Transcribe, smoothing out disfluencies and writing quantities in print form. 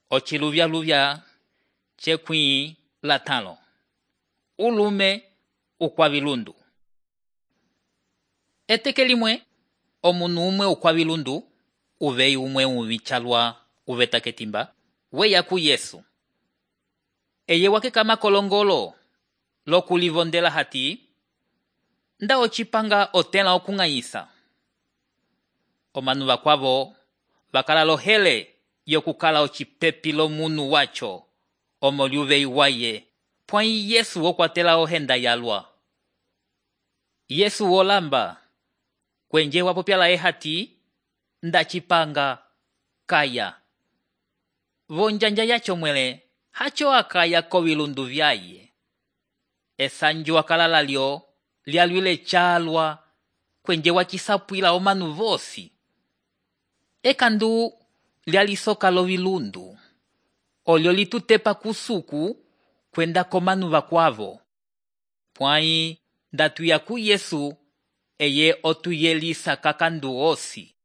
Ociluvyaluvya cekwĩ latãlo. Ulume ukwavilundu. Eteke limwe, omunu umwe ukwavilundu, uveyi umwe uvicalwa uveta ketimba, weya ku Yesu. Eye wakekama kolongolo lokulivondela hati, nda ocipanga otẽla okung'anyisa. Omanu vakwavo vakala lohele yokukala ocipepi lomunu wacho omo liuveyi waye, pwãyi Yesu wokwatela ohenda yalwa. Yesu wolamba, kwenje wapopya laye hati, nda cipanga kaya. Vonjanja yacho mwele, hacho akaya kovilundu vyaye. Esanju wakala lalyo, lyalwile calwa, kwenje wacisapwila omanu vosi. Ekandu lyalisoka lovilundu, olyo litutepa kusuku kwenda komanu vakwavo. Pwãyi nda tuya ku Yesu, eye otuyelisa kakandu osi.